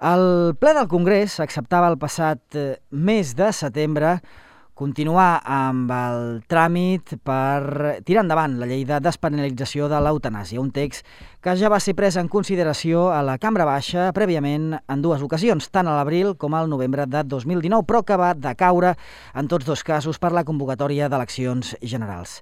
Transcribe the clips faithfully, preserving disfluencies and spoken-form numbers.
El ple del Congrés acceptava el passat mes de setembre continuar amb el tràmit per tirar endavant la llei de despenalització de l'eutanàsia, un text que ja va ser pres en consideració a la Cambra Baixa prèviament en dues ocasions, tant a l'abril com al novembre de dos mil dinou, però que va decaure en tots dos casos per la convocatòria d'eleccions generals.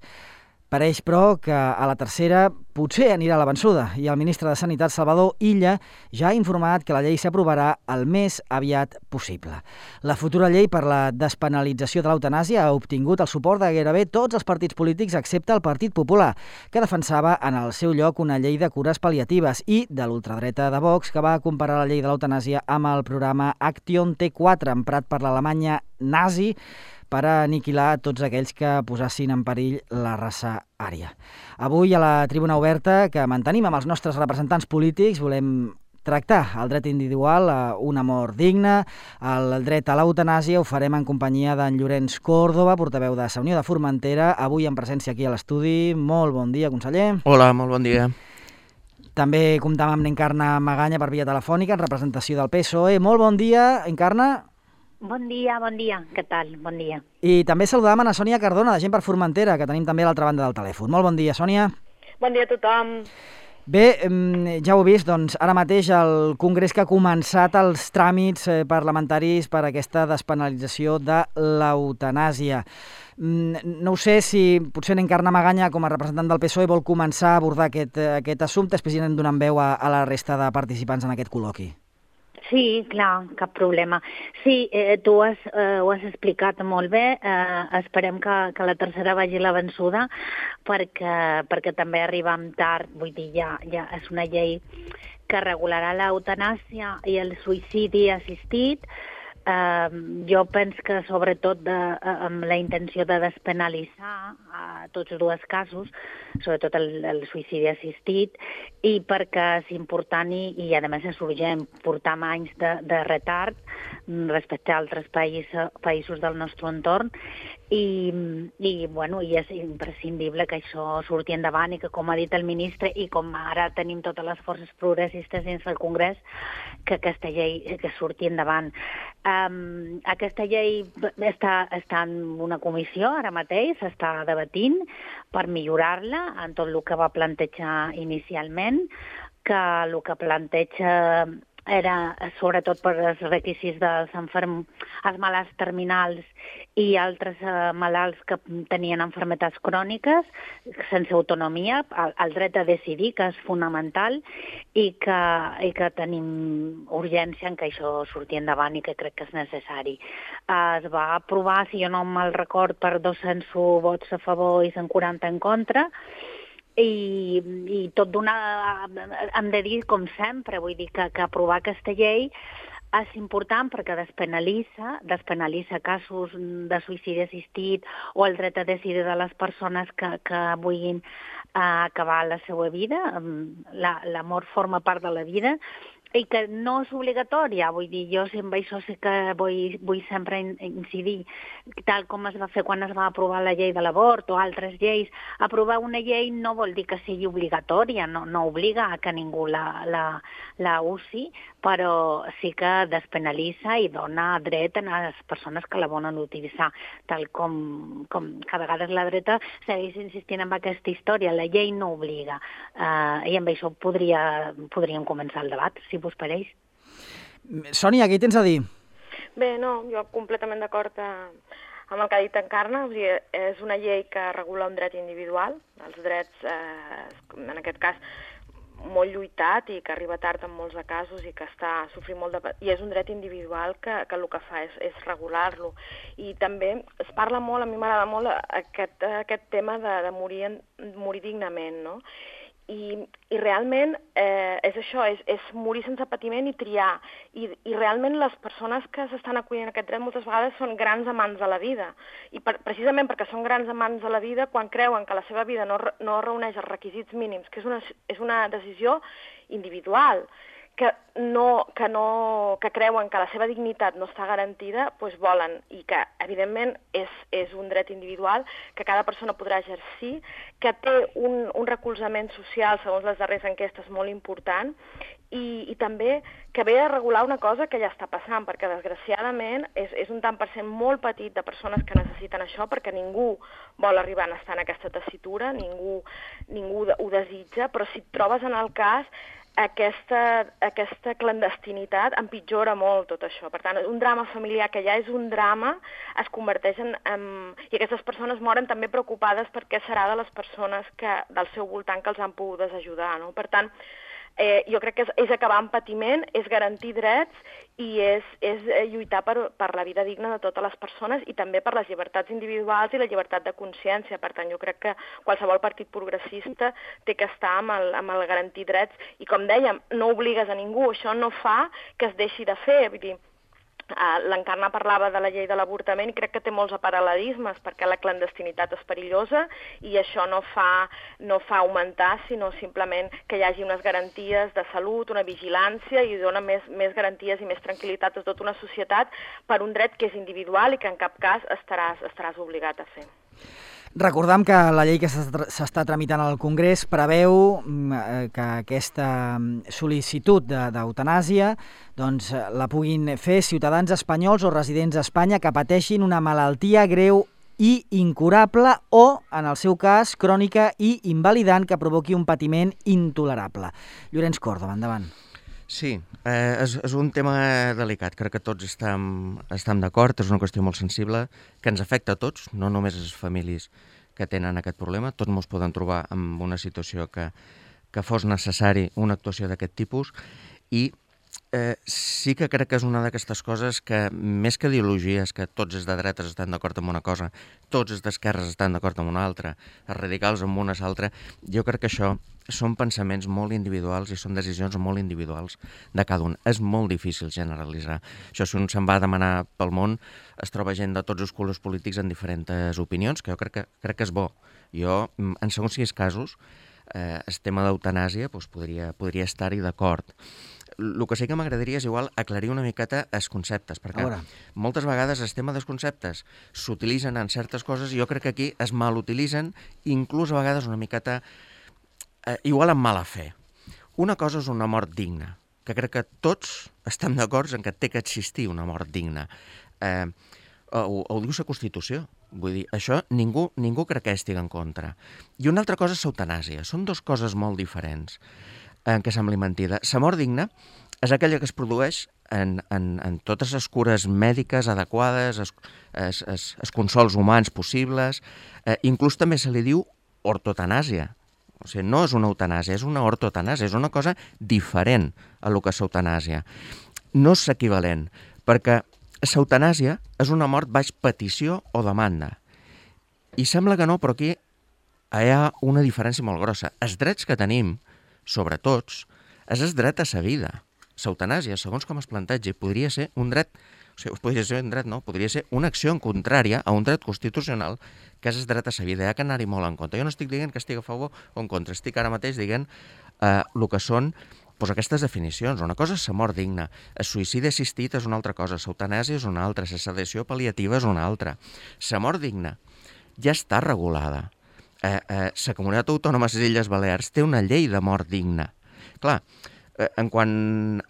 Pareix, però, que a la tercera potser anirà la vençuda i el ministre de Sanitat, Salvador Illa, ja ha informat que la llei s'aprovarà el més aviat possible. La futura llei per la despenalització de l'eutanàsia ha obtingut el suport de gairebé tots els partits polítics excepte el Partit Popular, que defensava en el seu lloc una llei de cures pal·liatives, i de l'ultradreta de Vox, que va comparar la llei de l'eutanàsia amb el programa Action T quatre, emprat per l'Alemanya nazi, per a aniquilar tots aquells que posassin en perill la raça ària. Avui, a la Tribuna Oberta, que mantenim amb els nostres representants polítics, volem tractar el dret individual a una mort digna, el dret a l'eutanàsia. Ho farem en companyia d'en Llorenç Córdoba, portaveu de Sa Unió de Formentera, avui en presència aquí a l'estudi. Molt bon dia, conseller. Hola, molt bon dia. També comptam amb l'Encarna Maganya per via telefònica, en representació del P S O E. Molt bon dia, Encarna. Bon dia, bon dia. Què tal? Bon dia. I també saludàvem a Sònia Cardona, de Gent per Formentera, que tenim també a l'altra banda del telèfon. Molt bon dia, Sònia. Bon dia a tothom. Bé, ja ho heu vist, doncs ara mateix el Congrés que ha començat els tràmits parlamentaris per a aquesta despenalització de l'eutanàsia. No ho sé si potser l'Encarna Maganya, com a representant del P S O E, vol començar a abordar aquest, aquest assumpte, després anem donant veu a, a la resta de participants en aquest col·loqui. Sí, clar, cap problema. Sí, eh, tu has, eh, ho has explicat molt bé. Eh, esperem que, que la tercera vagi la vençuda perquè, perquè també arribem tard. Vull dir, ja, ja és una llei que regularà l'eutanàsia i el suïcidi assistit. Uh, jo penso que sobretot de, uh, amb la intenció de despenalitzar uh, tots dos casos, sobretot el, el suïcidi assistit, i perquè és important i, i a més és urgent, portar anys de, de retard respecte a altres païs, països del nostre entorn, i, i, bueno, i és imprescindible que això surti endavant i que, com ha dit el ministre, i com ara tenim totes les forces progressistes dins del Congrés, que aquesta llei que surti endavant. Um, aquesta llei està, està en una comissió ara mateix, s'està debatint per millorar-la en tot el que va plantejar inicialment, que el que planteja era sobretot per als requisits dels enferm... els malalts terminals i altres eh, malalts que tenien malalties cròniques sense autonomia, el, el dret a decidir, que és fonamental, i que, i que tenim urgència en que això surti endavant i que crec que és necessari. Eh, es va aprovar, si jo no me'l record, per dos-cents vots a favor i cent quaranta en contra, I, i tot d'una, hem de dir, com sempre, vull dir que, que aprovar aquesta llei és important perquè despenalitza, despenalitza casos de suïcidi assistit o el dret a decidir de les persones que, que vulguin uh, acabar la seva vida. La, la mort forma part de la vida i que no és obligatòria. Vull dir, jo amb això sí que vull, vull sempre incidir, tal com es va fer quan es va aprovar la llei de l'avort o altres lleis. Aprovar una llei no vol dir que sigui obligatòria, no, no obliga a que ningú la, la, la usi, però sí que despenalitza i dona dret a les persones que la volen utilitzar, tal com, com que a vegades la dreta segueix insistint en aquesta història. La llei no obliga, uh, i amb això podria, podríem començar el debat, si vos pareix. Sònia, què hi tens a dir? Bé, no, jo completament d'acord amb el que ha dit Encarna. O sigui, és una llei que regula un dret individual, els drets, eh, en aquest cas, molt lluitat i que arriba tard en molts de casos i que està sofrint molt de... I és un dret individual que, que el que fa és, és regular-lo. I també es parla molt, a mi m'agrada molt aquest, aquest tema de, de morir, en, morir dignament, no? I, i realment eh, és això, és, és morir sense patiment i triar. I, i realment les persones que s'estan acollint a aquest dret moltes vegades són grans amants de la vida. I per, precisament perquè són grans amants de la vida, quan creuen que la seva vida no, no reuneix els requisits mínims, que és una, és una decisió individual, que no, que no, que creuen que la seva dignitat no està garantida, doncs volen, i que evidentment és, és un dret individual que cada persona podrà exercir, que té un, un recolzament social, segons les darreres enquestes, molt important, i, i també que ve a regular una cosa que ja està passant, perquè desgraciadament és, és un tant per cent molt petit de persones que necessiten això, perquè ningú vol arribar a estar en aquesta tessitura, ningú, ningú ho desitja, però si et trobes en el cas, aquesta, aquesta clandestinitat empitjora molt tot això. Per tant, un drama familiar que ja és un drama es converteix en... en i aquestes persones moren també preocupades per què serà de les persones que, del seu voltant que els han pogut ajudar, no? Per tant, eh, jo crec que és, és acabar amb patiment, és garantir drets i és, és lluitar per, per la vida digna de totes les persones i també per les llibertats individuals i la llibertat de consciència. Per tant, jo crec que qualsevol partit progressista té que estar amb el, amb el garantir drets i, com dèiem, no obligues a ningú, això no fa que es deixi de fer. Vull dir, Uh, l'Encarna parlava de la llei de l'avortament i crec que té molts paral·lelismes perquè la clandestinitat és perillosa i això no fa, no fa augmentar, sinó simplement que hi hagi unes garanties de salut, una vigilància i dona més, més garanties i més tranquil·litat a tota una societat per un dret que és individual i que en cap cas estaràs, estaràs obligat a fer. Recordam que la llei que s'està tramitant al Congrés preveu que aquesta sol·licitud d'eutanàsia doncs, la puguin fer ciutadans espanyols o residents a Espanya que pateixin una malaltia greu i incurable o, en el seu cas, crònica i invalidant que provoqui un patiment intolerable. Llorenç Còrdova, endavant. Sí, eh, és, és un tema delicat. Crec que tots estem, estem d'acord, és una qüestió molt sensible que ens afecta a tots, no només a les famílies que tenen aquest problema. Tots ens podem trobar en una situació que, que fos necessari una actuació d'aquest tipus i eh, sí que crec que és una d'aquestes coses que, més que ideologies, que tots els de dretes estan d'acord amb una cosa, tots els d'esquerres estan d'acord amb una altra, els radicals amb una altra, jo crec que això són pensaments molt individuals i són decisions molt individuals de cada un. És molt difícil generalitzar. Això, si un se'n va a demanar pel món, es troba gent de tots els colors polítics en diferents opinions, que jo crec que, crec que és bo. Jo, en segons quins casos, eh, el tema d'eutanàsia doncs podria, podria estar-hi d'acord. El que sí que m'agradaria és igual aclarir una miqueta els conceptes, perquè moltes vegades el tema dels conceptes s'utilitzen en certes coses i jo crec que aquí es malutilitzen, inclús a vegades una miqueta eh, igual amb mala fe. Una cosa és una mort digna, que crec que tots estem d'acord en que té que existir una mort digna. Eh, ho, ho diu la Constitució. Vull dir, això ningú, ningú crec que estigui en contra. I una altra cosa és l'eutanàsia. Són dues coses molt diferents en què sembli mentida. La mort digna és aquella que es produeix en, en, en totes les cures mèdiques adequades, els, els, els, els consols humans possibles, eh, inclús també se li diu ortotanàsia. O sigui, no és una eutanàsia, és una ortotanàsia, és una cosa diferent a lo que és eutanàsia. No és equivalent, perquè l'eutanàsia és una mort baix petició o demanda. I sembla que no, però aquí hi ha una diferència molt grossa. Els drets que tenim, sobre tots, és el dret a la vida. L'eutanàsia, segons com es plantegi, podria ser un dret, o sigui, podria ser un dret, no, podria ser una acció en contrària a un dret constitucional que és el dret a la vida. Hi ha que anar-hi molt en compte. Jo no estic dient que estigui a favor o en contra, estic ara mateix dient eh, el que són pues, aquestes definicions. Una cosa és la mort digna, el suïcidi assistit és una altra cosa, l'eutanàsia és una altra, la sedació pal·liativa és una altra. La mort digna ja està regulada. Eh, eh, la Comunitat Autònoma de les Illes Balears té una llei de mort digna. Clar, eh, en quan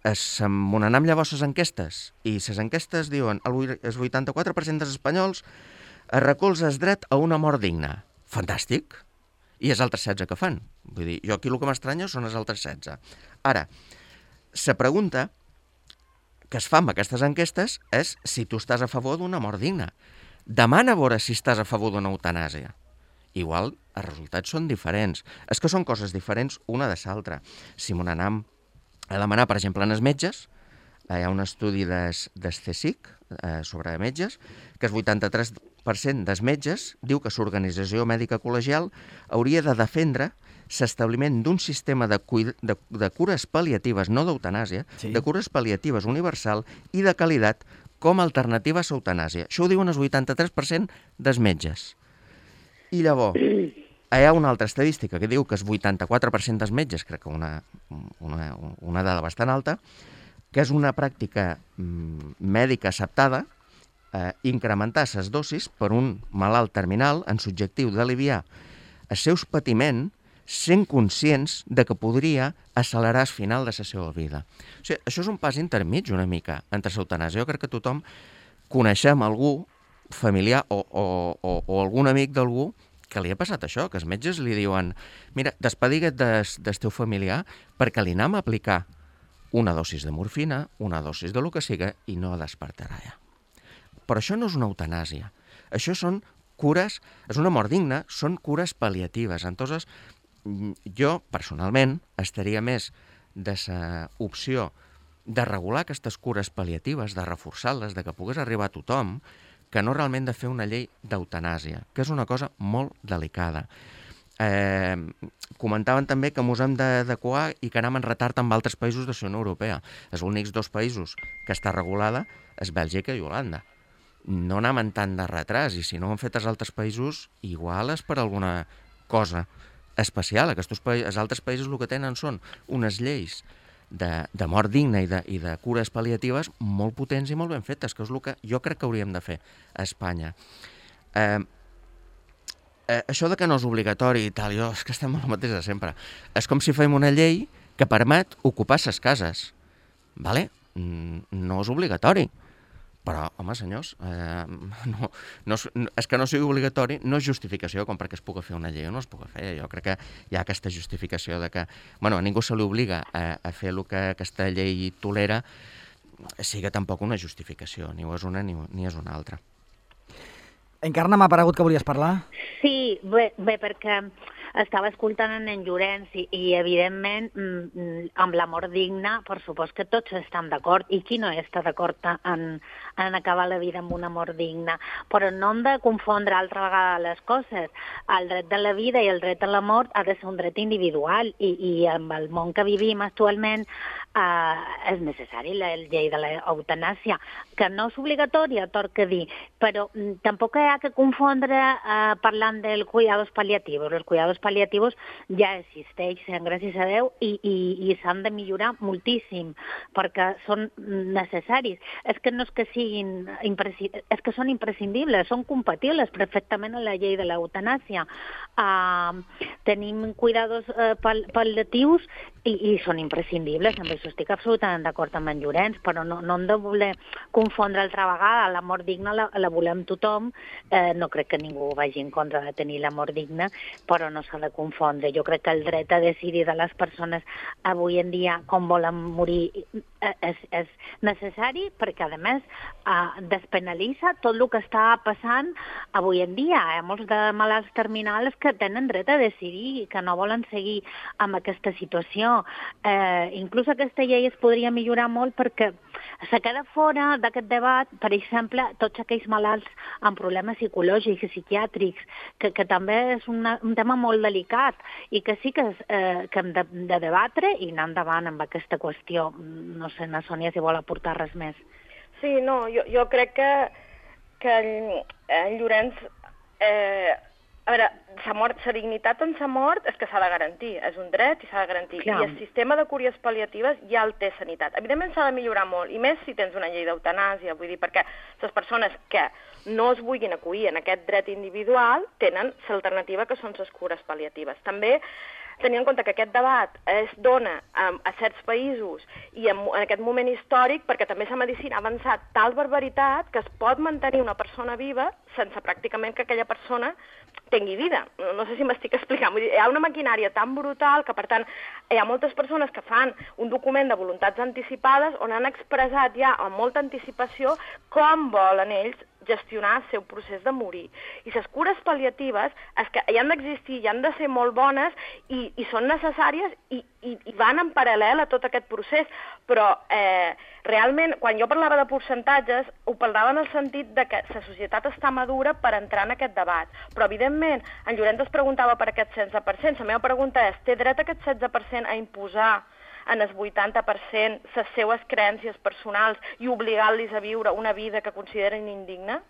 es m'onenem llavors les enquestes, i les enquestes diuen el vuitanta-quatre per cent dels espanyols es recolza el dret a una mort digna. Fantàstic! I els altres setze que fan. Vull dir, jo aquí el que m'estranya són els altres setze. Ara, la pregunta que es fa amb aquestes enquestes és si tu estàs a favor d'una mort digna. Demana a veure si estàs a favor d'una eutanàsia. Igual els resultats són diferents. És que són coses diferents una de l'altra. Si m'ho anem a demanar, per exemple, en els metges, hi ha un estudi del C S I C eh, sobre metges, que el vuitanta-tres per cent dels metges diu que l'Organització Mèdica Col·legial hauria de defendre l'establiment d'un sistema de, de, de cures pal·liatives, no d'eutanàsia, sí. de cures pal·liatives universal i de qualitat com a alternativa a l'eutanàsia. Això ho diuen el vuitanta-tres per cent dels metges. I llavors, hi ha una altra estadística que diu que el vuitanta-quatre per cent dels metges, crec que una, una, una dada bastant alta, que és una pràctica mm, mèdica acceptada eh, incrementar les dosis per un malalt terminal en subjectiu d'aliviar els seus patiments sent conscients de que podria accelerar el final de la seva vida. O sigui, això és un pas intermig una mica entre l'eutanàsia. Jo crec que tothom coneixem algú familiar o, o, o, o algun amic d'algú que li ha passat això, que els metges li diuen mira, despedigue't des, del teu familiar perquè li anem a aplicar una dosis de morfina, una dosis de lo que siga i no despertarà ja. Però això no és una eutanàsia. Això són cures, és una mort digna, són cures pal·liatives. Entonces, jo, personalment, estaria més de la opció de regular aquestes cures pal·liatives, de reforçar-les, de que pogués arribar a tothom, que no realment de fer una llei d'eutanàsia, que és una cosa molt delicada. Eh, comentaven també que ens hem d'adequar i que anem en retard amb altres països de la Unió Europea. Els únics dos països que està regulada és Bèlgica i Holanda. No anem en tant de retras, i si no ho han fet els altres països, igual és per alguna cosa especial. Aquests pa els altres països el que tenen són unes lleis de, de mort digna i de, i de cures pal·liatives molt potents i molt ben fetes, que és el que jo crec que hauríem de fer a Espanya. Eh, eh, això de que no és obligatori i tal, jo és que estem amb el mateix de sempre. És com si fem una llei que permet ocupar les cases. Vale? No és obligatori. Però, home, senyors, eh, no, no, és que no sigui obligatori, no és justificació com perquè es pugui fer una llei o no es pugui fer. Jo crec que hi ha aquesta justificació de que, bueno, a ningú se li obliga a, a fer el que aquesta llei tolera, siga tampoc una justificació, ni és una ni, ni és una altra. Encarna, m'ha paregut que volies parlar? Sí, bé, bé perquè estava escoltant en en Llorenç i, i evidentment, amb la mort digna, per supost que tots estan d'acord, i qui no està d'acord en, en acabar la vida amb una mort digna. Però no hem de confondre altra vegada les coses. El dret de la vida i el dret a la mort ha de ser un dret individual, i, i amb el món que vivim actualment eh, és necessari la llei de l'eutanàsia, que no és obligatòria, tot que dir, però tampoc hi ha que confondre eh, parlant dels cuidados paliativos. Els cuidados paliativos ja existeixen, gràcies a Déu, i, i, i s'han de millorar moltíssim, perquè són necessaris. És que no és que siguin és que són imprescindibles, són compatibles perfectament amb la llei de l'eutanàsia. Uh, tenim cuidados uh, pal pal·liatius i, i són imprescindibles, amb això estic absolutament d'acord amb en Llorenç, però no, no hem de voler confondre altra vegada. La mort digna la, la volem tothom, eh, no crec que ningú vagi en contra de tenir la mort digna, però no s'ha de confondre. Jo crec que el dret a decidir de les persones avui en dia com volen morir és, és necessari, perquè a més eh, despenalitza tot el que està passant avui en dia. Hi ha molts de malalts terminals que tenen dret a decidir i que no volen seguir amb aquesta situació. Eh, inclús aquesta llei es podria millorar molt perquè se queda fora d'aquest debat, per exemple, tots aquells malalts amb problemes psicològics i psiquiàtrics, que, que també és una, un tema molt delicat i que sí que, eh, que hem de, de debatre i anar endavant amb aquesta qüestió. No sé, na Sònia, si vol aportar res més. Sí, no, jo, jo crec que, que en, en Llorenç... Eh, a veure, sa mort, sa dignitat en sa mort és que s'ha de garantir, és un dret i s'ha de garantir. Clar. I el sistema de cures pal·liatives ja el té Sanitat. Evidentment s'ha de millorar molt, i més si tens una llei d'eutanàsia, vull dir, perquè les persones que no es vulguin acollir en aquest dret individual tenen l'alternativa que són les cures pal·liatives. També tenir en compte que aquest debat es dona a, a certs països i en, en aquest moment històric perquè també la medicina ha avançat tal barbaritat que es pot mantenir una persona viva sense pràcticament que aquella persona tingui vida. No, no sé si m'estic explicant. Vull dir, hi ha una maquinària tan brutal que, per tant, hi ha moltes persones que fan un document de voluntats anticipades on han expressat ja amb molta anticipació com volen ells gestionar el seu procés de morir. I les cures pal·liatives és que hi han d'existir, hi han de ser molt bones i, i són necessàries i, i, i van en paral·lel a tot aquest procés. Però eh, realment, quan jo parlava de percentatges, ho parlava en el sentit de que la societat està madura per entrar en aquest debat. Però, evidentment, en Llorenç es preguntava per aquest setze per cent. La meva pregunta és, té dret aquest setze per cent a imposar en el vuitanta per cent les seues creences personals i obligant-los a viure una vida que consideren indigna?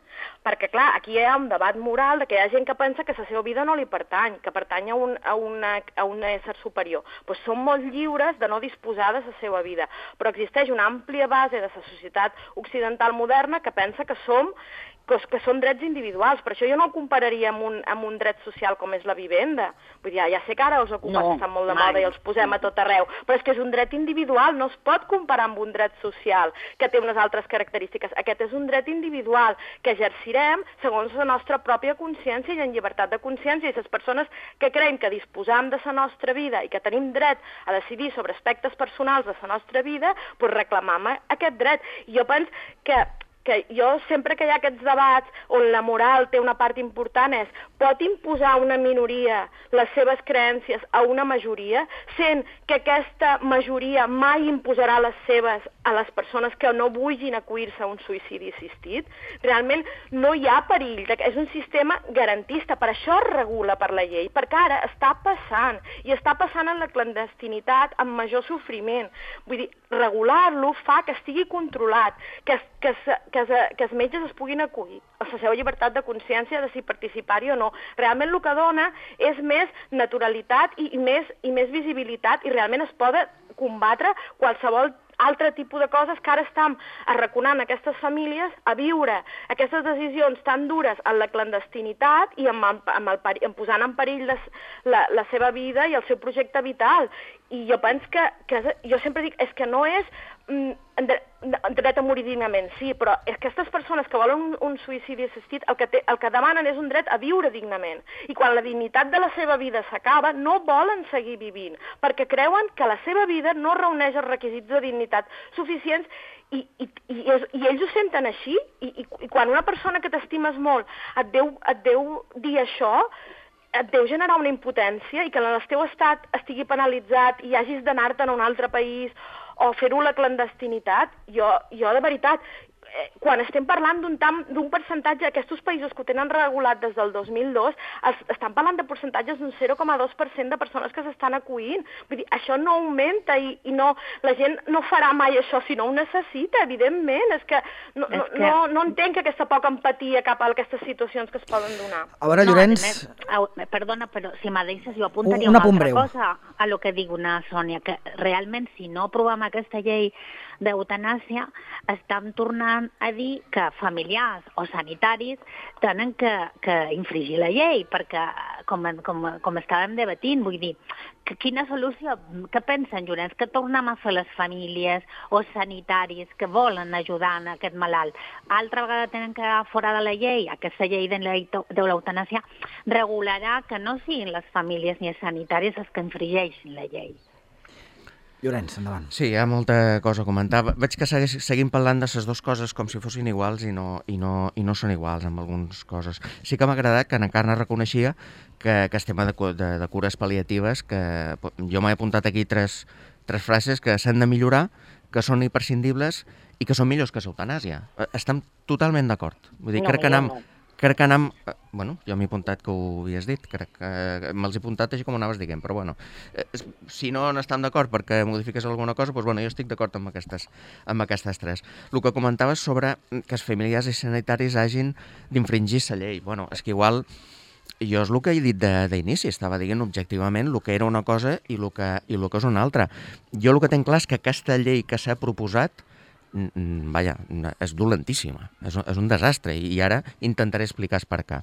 Perquè, clar, aquí hi ha un debat moral de que hi ha gent que pensa que la seva vida no li pertany, que pertany a un, a una, a un ésser superior. Doncs són molt lliures de no disposar de la seva vida. Però existeix una àmplia base de la societat occidental moderna que pensa que som que, que són drets individuals. Per això jo no el compararia amb un, amb un dret social com és la vivenda. Vull dir, ja, ja sé que ara els ocupats no, estan molt de mai. moda i els posem a tot arreu, però és que és un dret individual, no es pot comparar amb un dret social que té unes altres característiques. Aquest és un dret individual que exercirem segons la nostra pròpia consciència i en llibertat de consciència, i les persones que creiem que disposam de la nostra vida i que tenim dret a decidir sobre aspectes personals de la nostra vida, doncs reclamam aquest dret. I jo penso que que jo sempre que hi ha aquests debats on la moral té una part important és pot imposar una minoria les seves creences a una majoria, sent que aquesta majoria mai imposarà les seves a les persones que no vulguin acollir-se a un suïcidi assistit. Realment no hi ha perill, és un sistema garantista, per això es regula per la llei, perquè ara està passant, i està passant en la clandestinitat amb major sofriment. Vull dir, regular-lo fa que estigui controlat, que, que, que, que els metges es puguin acollir a la seva llibertat de consciència de si participar-hi o no. Realment el que dona és més naturalitat i, i, més, i més visibilitat, i realment es pot combatre qualsevol altre tipus de coses que ara estem arraconant aquestes famílies a viure aquestes decisions tan dures en la clandestinitat i amb el, amb el, amb posant en perill les, la, la seva vida i el seu projecte vital. I jo penso que, que jo sempre dic, és que no és mm, dret a morir dignament, sí, però és que aquestes persones que volen un, un suïcidi assistit el que, té, el que demanen és un dret a viure dignament. I quan la dignitat de la seva vida s'acaba, no volen seguir vivint, perquè creuen que la seva vida no reuneix els requisits de dignitat suficients. I, i, i, i ells ho senten així, i, i, i quan una persona que t'estimes molt et deu, et deu dir això, et deu generar una impotència, i que en el teu estat estigui penalitzat i hagis d'anar-te'n a un altre país o fer-ho a la clandestinitat. Jo, jo de veritat, eh, quan estem parlant d'un d'un percentatge, aquests països que ho tenen regulat des del dos mil dos, es, estan parlant de percentatges d'un zero coma dos per cent de persones que s'estan acollint. Vull dir, això no augmenta, i, i no, la gent no farà mai això si no ho necessita, evidentment. És que no, és que... no, no entenc aquesta poca empatia cap a aquestes situacions que es poden donar. A veure, Llorenç... No, a més, perdona, però si me deixes jo apuntaria una una altra breu. cosa a lo que diu una Sònia, que realment si no aprovem aquesta llei d'eutanàsia estan tornant a dir que familiars o sanitaris tenen que, que infringir la llei, perquè com, com, com estàvem debatint, vull dir, que quina solució, què pensen, Llorenç, que tornem a fer les famílies o sanitaris que volen ajudar a aquest malalt? Altra vegada tenen que quedar fora de la llei. Aquesta llei de l'eutanàsia regularà que no siguin les famílies ni els sanitaris els que infringeixin la llei. Llorenç, endavant. Sí, hi ha molta cosa a comentar. Veig que segueix, seguim parlant de les dues coses com si fossin iguals i no, i no, i no són iguals amb algunes coses. Sí que m'ha agradat que en Encarna reconeixia que aquest tema de, de, de cures pal·liatives, que jo m'he apuntat aquí tres, tres frases que s'han de millorar, que són imprescindibles i que són millors que l'eutanàsia. Estem totalment d'acord. Vull dir, no, crec que anem... Crec que anem... Bueno, jo m'he apuntat que ho havies dit, crec que me'ls he apuntat així com anaves dient, però bueno, si no n'estem d'acord perquè modifiques alguna cosa, doncs bueno, jo estic d'acord amb aquestes, amb aquestes tres. El que comentaves sobre que els familiars i sanitaris hagin d'infringir la llei, bueno, és que igual jo és el que he dit d'inici, estava dient objectivament el que era una cosa i el que, i el que és una altra. Jo el que tinc clar és que aquesta llei que s'ha proposat vaja, és dolentíssima, és, és un desastre, i ara intentaré explicar per què.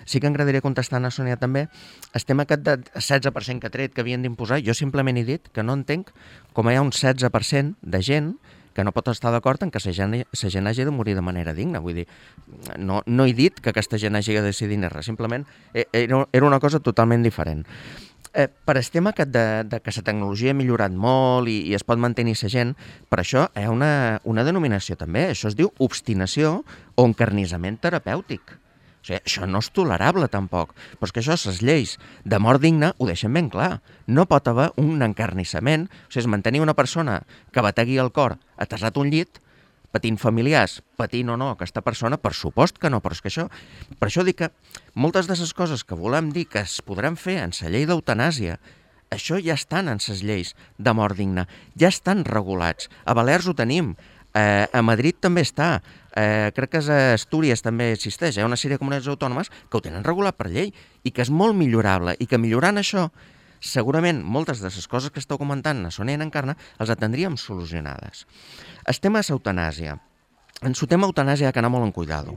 Sí que m'agradaria contestar a Sònia també el tema aquest de setze per cent que ha tret que havien d'imposar. Jo simplement he dit que no entenc com hi ha un setze per cent de gent que no pot estar d'acord en que la gent, la gent hagi de morir de manera digna. Vull dir, no, no he dit que aquesta gent hagi de decidir res, simplement era, era una cosa totalment diferent. Eh, per el tema aquest de, de que la tecnologia ha millorat molt i, i es pot mantenir la gent, per això hi ha una, una denominació també, això es diu obstinació o encarnissament terapèutic. O sigui, això no és tolerable tampoc, però és que això, les lleis de mort digna ho deixen ben clar. No pot haver un encarnissament, o sigui, és mantenir una persona que bategui el cor atasat un llit, patint familiars, patint o no aquesta persona, per supost que no, però és que això... Per això dic que moltes de les coses que volem dir que es podran fer en la llei d'eutanàsia això ja estan en les lleis de mort digna, ja estan regulats. A Balears ho tenim, eh, a Madrid també està, eh, crec que a Astúries també existeix, hi ha una sèrie de comunitats autònomes que ho tenen regulat per llei i que és molt millorable i que millorant això, segurament moltes de les coses que esteu comentant a Sònia i en Encarna els atendríem solucionades. El tema és eutanàsia. En el tema eutanàsia ha d'anar molt en cuidado.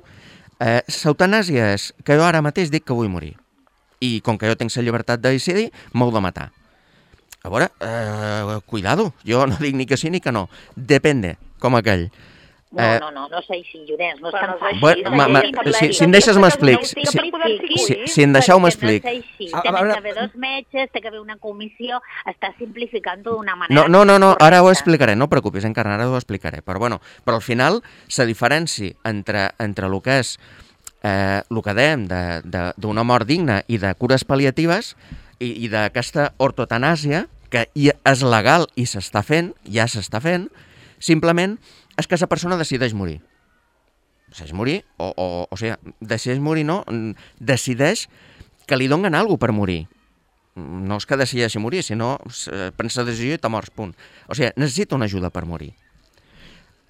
Eh, l'eutanàsia és que jo ara mateix dic que vull morir. I com que jo tinc la llibertat de decidir, m'heu de matar. A veure, eh, cuidado, jo no dic ni que sí ni que no. Depende, com aquell. No, eh, no, no, no sé si, Llorenç, no és tan fàcil. Bueno, ma, ma, si, si em deixes m'explic. Si, si, si em deixeu m'explic. No sé si, tenen que haver dos metges, té que haver una comissió, està simplificant-ho d'una manera... No, no, no, no, ara ho explicaré, no preocupis, Encarna, ara ho explicaré. Però, bueno, però al final, la diferència entre, entre el que és eh, el que dèiem d'una mort digna i de cures pal·liatives i, i d'aquesta ortotanàsia, que és legal i s'està fent, ja s'està fent, simplement és que la persona decideix morir. Decideix morir, o, o, o sigui, decideix morir, no, decideix que li donen alguna per morir. No és que decideixi morir, sinó prens la decisió i te mors, punt. O sigui, necessita una ajuda per morir.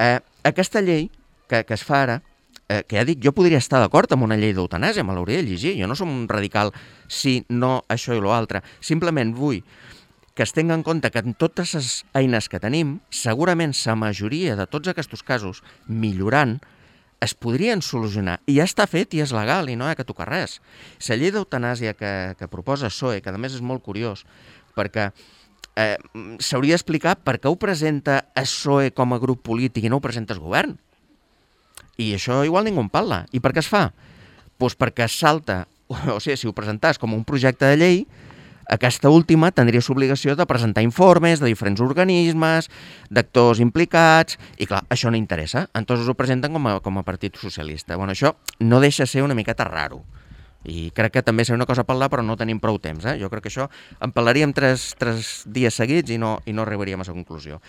Eh, aquesta llei que, que es fa ara, eh, que ja dic, jo podria estar d'acord amb una llei d'eutanàsia, me l'hauria de llegir, jo no som un radical si no això i l'altre, simplement vull que es tingui en compte que en totes les eines que tenim, segurament la majoria de tots aquests casos, millorant, es podrien solucionar. I ja està fet i és legal i no hi ha que tocar res. La llei d'eutanàsia que, que proposa el P S O E, que a més és molt curiós, perquè eh, s'hauria d'explicar per què ho presenta el P S O E com a grup polític i no ho presenta el govern. I això igual ningú en parla. I per què es fa? Doncs perquè es salta, o sigui, si ho presentàs com un projecte de llei, aquesta última tindria l'obligació de presentar informes de diferents organismes, d'actors implicats, i clar, això no interessa. Entonces ho presenten com a, com a Partit Socialista. Bueno, això no deixa ser una miqueta raro. I crec que també seria una cosa a parlar, però no tenim prou temps. Eh? Jo crec que això en parlaríem tres, tres dies seguits i no, i no arribaríem a la conclusió.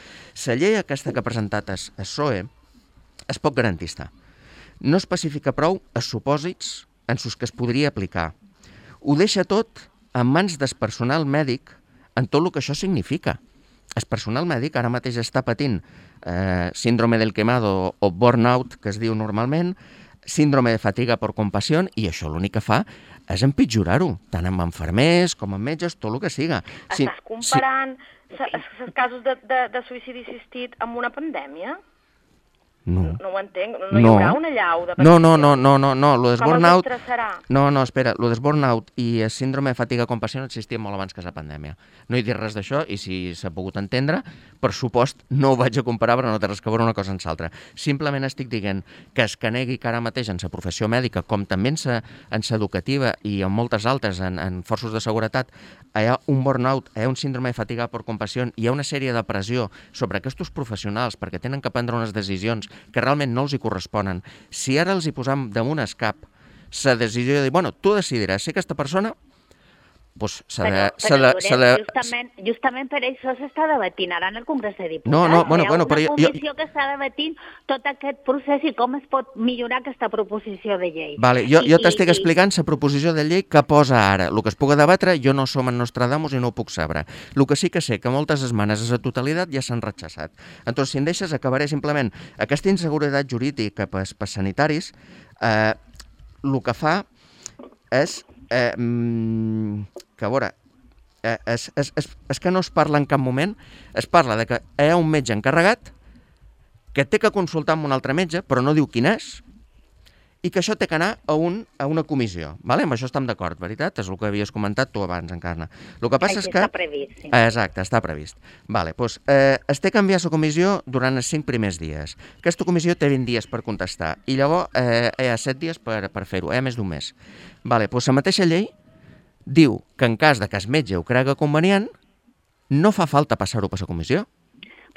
La llei aquesta que ha presentat el P S O E és poc garantista. No especifica prou els supòsits en els que es podria aplicar. Ho deixa tot en mans del personal mèdic en tot el que això significa. El personal mèdic ara mateix està patint eh, síndrome del quemado o burnout, que es diu normalment, síndrome de fatiga per compassió, i això l'únic que fa és empitjorar-ho, tant amb infermers com amb metges, tot el que siga. Estàs comparant els casos de, de, de suïcidi assistit amb una pandèmia? No. No ho entenc, no hi haurà una llau de... No, no, no, no, no, no, lo Com burnout... els estressarà? No, no, espera, lo de burnout i el síndrome de fatiga compassió existia molt abans que la pandèmia. No he dit res d'això i si s'ha pogut entendre, per supost, no ho vaig a comparar, però no té res que veure una cosa amb l'altra. Simplement estic dient que es que negui que ara mateix en la professió mèdica, com també en la educativa i en moltes altres, en, en forços de seguretat, hi ha un burnout, hi ha un síndrome de fatiga per compassió, hi ha una sèrie de pressió sobre aquests professionals perquè tenen que prendre unes decisions que realment no els hi corresponen. Si ara els hi posam damunt el cap la decisió de dir, bueno, tu decidiràs si aquesta persona pues, s'ha de... Però, però Llorenç, de... justament, justament per això s'està debatint ara en el Congrés de Diputats. No, no, bueno, Hi ha bueno, una però jo- comissió que està debatint tot aquest procés i com es pot millorar aquesta proposició de llei. Vale, jo, I- jo i- t'estic i- explicant la proposició de llei que posa ara. El que es puga debatre, jo no som en Nostradamus i no ho puc saber. El que sí que sé que moltes esmenes a la totalitat ja s'han rechaçat. Entonces, si em deixes, acabaré simplement. Aquesta inseguretat jurídica per, per sanitaris, eh, el que fa és eh, que, a veure, eh, és, és, és, és que no es parla en cap moment, es parla de que hi ha un metge encarregat que té que consultar amb un altre metge, però no diu quin és, i que això té que anar a, un, a una comissió. Vale? Amb això estem d'acord, veritat? És el que havies comentat tu abans, Encarna. El que passa Així és que... està previst, sí. Exacte, està previst. Vale, doncs, eh, es té que enviar la comissió durant els cinc primers dies. Aquesta comissió té vint dies per contestar, i llavors eh, hi ha set dies per, per fer-ho, hi ha més d'un mes. Vale, doncs la mateixa llei diu que en cas de que el metge ho crega convenient, no fa falta passar-ho per la comissió.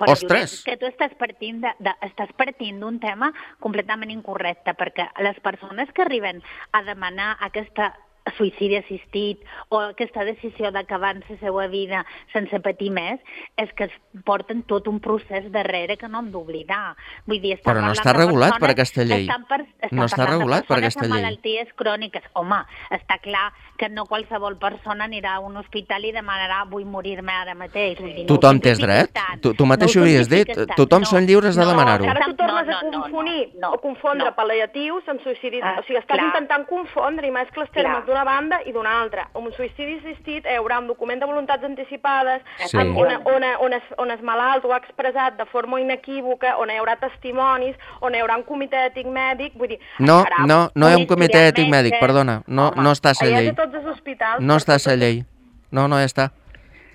Però, Ostres! Llorenç, que tu estàs partint de, de, estàs partint d'un tema completament incorrecte, perquè les persones que arriben a demanar aquesta suïcidi assistit o aquesta decisió d'acabar la seva vida sense patir més, és que es porten tot un procés darrere que no hem d'oblidar. Vull dir, però no està regulat per aquesta llei. Per, no està regulat per aquesta llei. Malalties cròniques. Home, està clar que no qualsevol persona anirà a un hospital i demanarà vull morir-me ara mateix. Vull dir, tothom no tens dret. Tu, tu mateix ho havies dit. Tothom no, són lliures de no, demanar-ho. Ara tu tornes no, no, a confonir no, no, o confondre no. pal·liatius amb suïcidis. Ah, o sigui, estàs clar. intentant confondre i mescles termes d'una banda i d'una altra. Un suïcidi assistit hi haurà un document de voluntats anticipades sí. on, on, on, es, on es malalt ho ha expressat de forma inequívoca, on hi haurà testimonis, on hi haurà un comitè ètic mèdic. Vull dir, no, no, no hi ha un comitè ètic mèdic, perdona. No, Home, no està a la llei. No està a la llei. No, no ja està.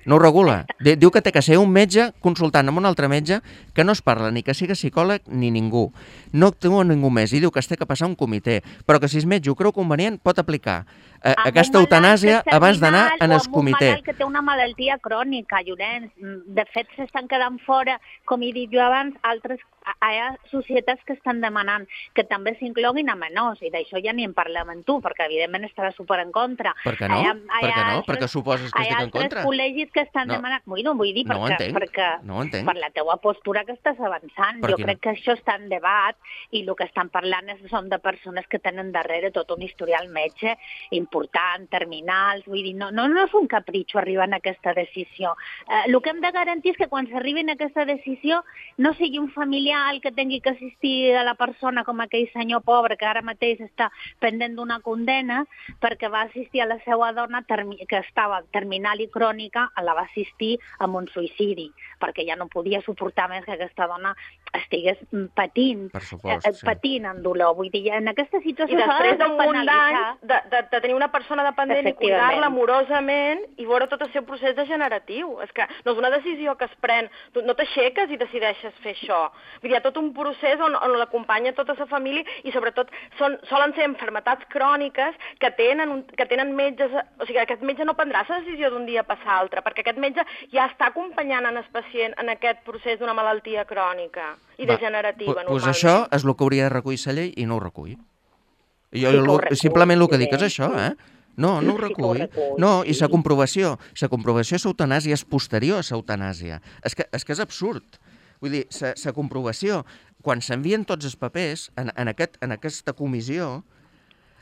No ho regula. Diu que té que ser un metge consultant amb un altre metge que no es parla ni que sigui psicòleg ni ningú. No actua ningú més i diu que es té que passar un comitè, però que si el metge ho creu convenient pot aplicar eh, aquesta eutanàsia abans d'anar en el comitè. Amb un malalt que té una malaltia crònica, Llorenç. De fet, s'estan quedant fora, com he dit jo abans, altres hi ha societats que estan demanant que també s'incloguin a menors, i d'això ja ni en parlem amb tu, perquè evidentment estarà super en contra. Per què no? Hi ha, hi per què no? Per què suposes que estic en contra? Hi ha altres col·legis que estan no. demanant... Bueno, vull dir, no perquè, perquè no per la teua postura que estàs avançant. Per jo crec no? que això està en debat i el que estan parlant és, són de persones que tenen darrere tot un historial metge important, terminals, vull dir, no, no, no és un capritxo arribar a aquesta decisió. Eh, el que hem de garantir és que quan s'arribi a aquesta decisió no sigui un familiar el que tingui que assistir a la persona com aquell senyor pobre que ara mateix està pendent d'una condena perquè va assistir a la seva dona que estava terminal i crònica, la va assistir amb un suïcidi, perquè ja no podia suportar més que aquesta dona estigués patint, supost, eh, patint sí. en dolor. Vull dir, en aquesta situació... I després d'un munt d'anys de, de, de tenir una persona dependent i cuidar-la amorosament i veure tot el seu procés degeneratiu. És que no és una decisió que es pren, tu no t'aixeques i decideixes fer això. Vull dir, hi ha tot un procés on, on l'acompanya tota la família i sobretot són, solen ser malalties cròniques que tenen, un, que tenen metges... O sigui, aquest metge no prendrà la decisió d'un dia per l'altre, perquè aquest metge ja està acompanyant en el pacient en aquest procés d'una malaltia crònica i degenerativa, Va, normalment. Doncs això és el que hauria de recollir la llei i no ho recull. Jo, sí lo, recull, simplement el que dic és això, eh? No, no ho recull. Sí recull no, i la comprovació, la comprovació de l'eutanàsia és posterior a l'eutanàsia. És que, és que és absurd. Vull dir, la comprovació, quan s'envien tots els papers en, en, aquest, en aquesta comissió,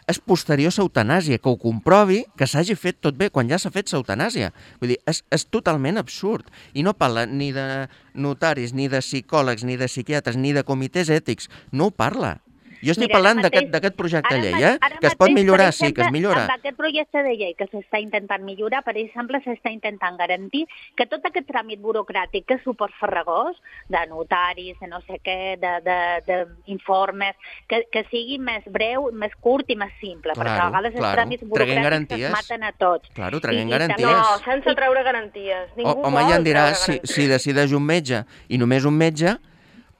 és posterior a l'eutanàsia, que ho comprovi que s'hagi fet tot bé quan ja s'ha fet l'eutanàsia. Vull dir, és, és totalment absurd. I no parla ni de notaris, ni de psicòlegs, ni de psiquiatres, ni de comitès ètics. No ho parla. Jo estic Mira, parlant d'aquest projecte de llei, eh? que es pot millorar, exemple, sí, que es millora. Amb aquest projecte de llei que s'està intentant millorar, per exemple, s'està intentant garantir que tot aquest tràmit burocràtic que és suport farragós, de notaris, de no sé què, d'informes, que, que sigui més breu, més curt i més simple, claro, perquè a vegades claro. els tràmits burocràtics es maten a tots. Claro, traguem I, garanties. No, sense treure garanties. Ningú o, home, ja em diràs, si, si decideix un metge i només un metge,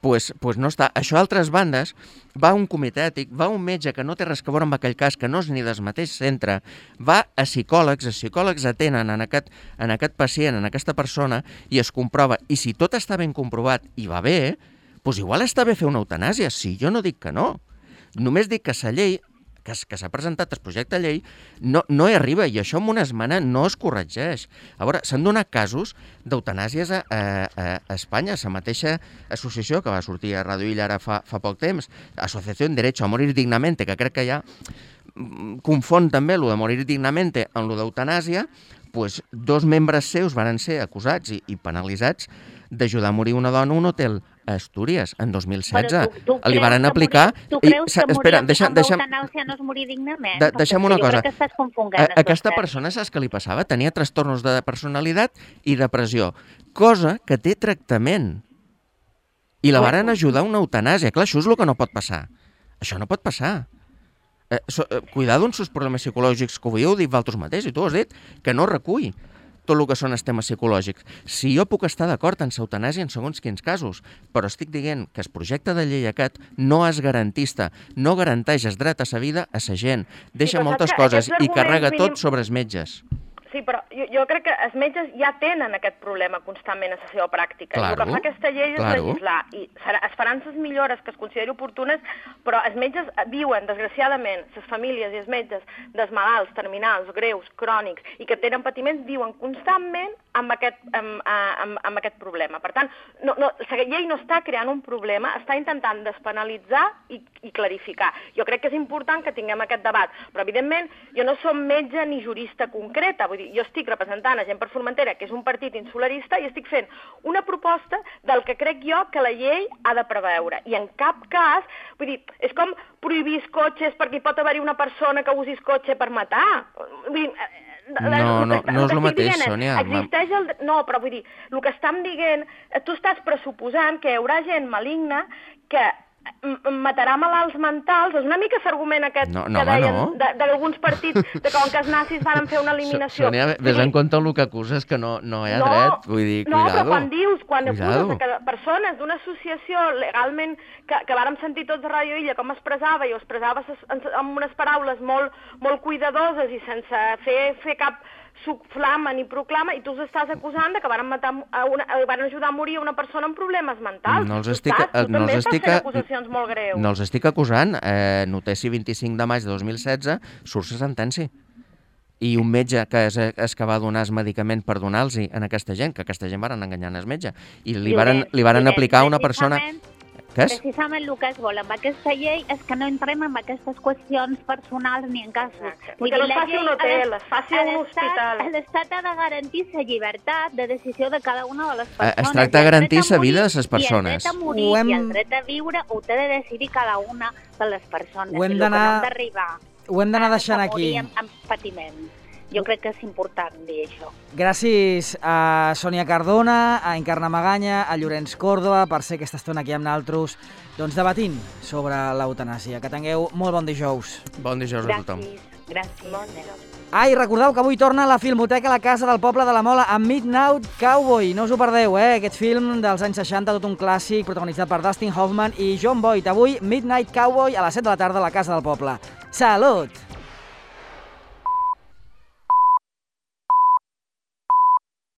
Pues, pues no està. Això a altres bandes va un comitè ètic, va un metge que no té res a veure amb aquell cas, que no és ni del mateix centre, va a psicòlegs, els psicòlegs atenen en aquest, en aquest pacient, en aquesta persona, i es comprova. I si tot està ben comprovat i va bé, doncs igual està bé fer una eutanàsia. Sí, jo no dic que no. Només dic que la llei que, que s'ha presentat el projecte de llei no, no hi arriba, i això en una esmena no es corregeix. A veure, s'han donat casos d'eutanàsies a, a, a Espanya. La mateixa associació que va sortir a Radio Illa ara fa, fa poc temps, Associació en Derecho a Morir Dignamente, que crec que ja confon també lo de morir dignamente amb lo d'eutanàsia, pues, dos membres seus van ser acusats i, i penalitzats d'ajudar a morir una dona a un hotel a Astúries, en dos mil setze. Tu, tu Li van aplicar... Morir, tu creus i, que espera, morir deixa, amb deixa, eutanàsia no és morir dignament? De, deixa'm una cosa. A, aquesta persona, saps què li passava? Tenia trastornos de personalitat i depressió, cosa que té tractament. I la varen ajudar a una eutanàsia. Clar, això és el que no pot passar. Això no pot passar. Eh, so, eh, cuidado amb els problemes psicològics, que ho veieu dit vosaltres mateix, i tu has dit que no recull tot el que són els temes psicològics. Si jo puc estar d'acord en l'eutanàsia en segons quins casos, però estic dient que el projecte de llei aquest no és garantista, no garanteix el dret a la vida a la gent, deixa sí, moltes coses i carrega mínim... tot sobre els metges. Sí, però jo, jo crec que els metges ja tenen aquest problema constantment a la seva pràctica. Claro, el que fa aquesta llei és claro. legislar i serà, es faran les millores que es consideri oportunes, però els metges viuen, desgraciadament, les famílies i els metges dels malalts terminals, greus, crònics i que tenen patiments viuen constantment amb aquest, amb, amb, amb aquest problema. Per tant, no, no, la llei no està creant un problema, està intentant despenalitzar i, i clarificar. Jo crec que és important que tinguem aquest debat, però evidentment jo no som metge ni jurista concreta, vull dir, jo estic representant a Gent per Formentera, que és un partit insularista, i estic fent una proposta del que crec jo que la llei ha de preveure. I en cap cas, vull dir, és com prohibir els cotxes perquè hi pot haver-hi una persona que usi el cotxe per matar. Vull dir, no, no, no és el mateix, Sònia. Existeix el... No, però vull dir, el que estem dient, tu estàs pressuposant que hi haurà gent maligna que matarà malalts mentals, és una mica l'argument aquest no, no, que deien no. d'alguns partits, de com que els nazis van fer una eliminació. Sònia, ves en compte el que acuses, que no, no hi ha no, dret, vull dir, no, cuidado. No, però quan dius, quan cuidado. acuses que persones d'una associació legalment, que, que vàrem sentir tots a Ràdio Illa com expressava, i ho expressava amb unes paraules molt, molt cuidadoses i sense fer, fer cap suflama ni proclama, i tu els estàs acusant de que van, matar a una, van ajudar a morir una persona amb problemes mentals. No els estic, tu no també els estàs estic, fent acusacions molt greus. No els estic acusant. Eh, Notici vint-i-cinc de maig de dos mil setze surt la sentència. I un metge que és, és que va donar el medicament per donar-los a aquesta gent, que aquesta gent van enganyar el metge, i li varen, li varen aplicar a una persona... Què és? Precisament el que es vol amb aquesta llei és que no entrem en aquestes qüestions personals ni en casos. Vull que no es faci un hotel, es faci un hospital. L'Estat ha de garantir la llibertat de decisió de cada una de les persones. Es tracta de garantir la vida de les persones. I el dret a morir hem... i el dret a viure ho té de decidir cada una de les persones. Ho hem d'arribar. Ho hem d'anar deixant aquí. Amb, amb patiment. Jo crec que és important dir això. Gràcies a Sònia Cardona, a Encarna Maganya, a Llorenç Còrdova per ser aquesta estona aquí amb nosaltres, doncs debatint sobre l'eutanàsia. Que tingueu molt bon dijous. Bon dijous a tothom. Gràcies. Gràcies. Bon dijous. Ah, i recordeu que avui torna a la Filmoteca a la Casa del Poble de la Mola amb Midnight Cowboy. No us ho perdeu, eh? Aquest film dels anys seixanta, tot un clàssic, protagonitzat per Dustin Hoffman i John Boyd. Avui, Midnight Cowboy a les set de la tarda a la Casa del Poble. Salut!